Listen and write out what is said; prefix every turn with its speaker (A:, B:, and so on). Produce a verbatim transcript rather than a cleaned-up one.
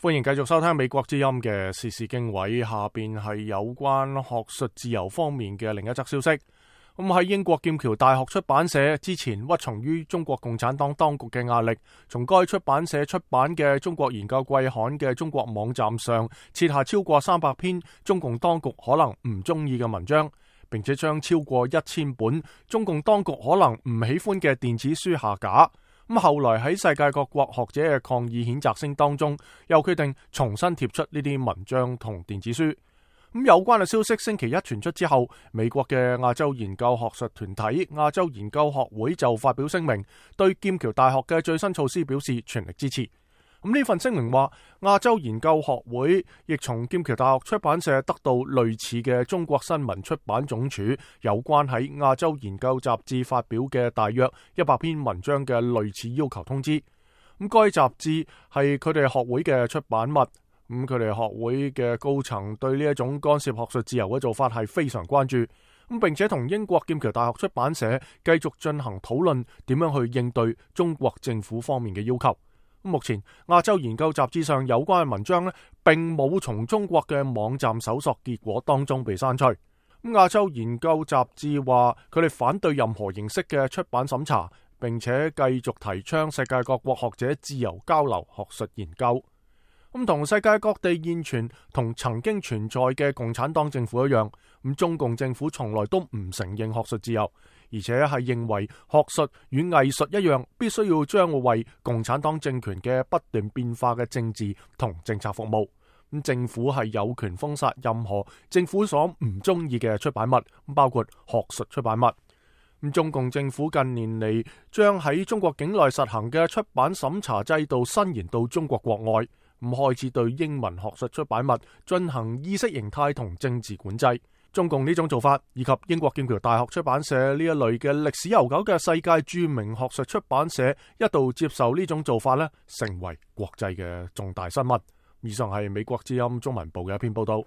A: 歡迎繼續收聽美國之音嘅時事經緯，下邊係有關學術自由方面嘅另一則消息。咁喺英國劍橋大學出版社之前屈從於中國共產黨當局嘅壓力，從該出版社出版嘅中國研究季刊嘅中國網站上撤下超過三百篇中共當局可能唔中意嘅文章，並且將超過一千本中共當局可能唔喜歡嘅電子書下架。咁後來喺世界各國學者嘅抗議譴責聲當中，又決定重新貼出呢啲文章同電子書。咁有關嘅消息星期一傳出之後，美國嘅亞洲研究學術團體亞洲研究學會就發表聲明，對劍橋大學嘅最新措施表示全力支持。咁呢份聲明話，亞洲研究學會亦從劍橋大學出版社得到類似嘅中國新聞出版總署有關喺亞洲研究雜誌發表嘅大約一百篇文章嘅類似要求通知。咁該雜誌係佢哋學會嘅出版物，咁佢哋學會嘅高層對呢一種干涉學術自由嘅做法係非常關注，咁並且同英國劍橋大學出版社繼續進行討論，點樣去應對中國政府方面嘅要求。目前亞洲研究雜誌上有關嘅文章呢，並冇從中國嘅網站搜索結果當中被刪除。咁亞洲研究雜誌話，佢哋反對任何形式嘅出版審查，並且繼續提倡世界各國學者自由交流學術研究。咁同世界各地現存同曾經存在嘅共產黨政府一樣，咁中共政府從來都唔承認學術自由，而且係認為學術與藝術一樣，必須要將為共產黨政權嘅不斷變化嘅政治同政策服務。咁政府係有權封殺任何政府所唔中意嘅出版物，包括學術出版物。咁中共政府近年嚟將喺中國境內實行嘅出版審查制度伸延到中國國外，咁開始對英文學術出版物進行意識形態同政治管制。中共呢種做法，以及英國劍橋大學出版社呢一類嘅歷史悠久嘅世界著名學術出版社一度接受呢種做法呢，成為國際嘅重大新聞。以上係美國之音中文部嘅一篇報道。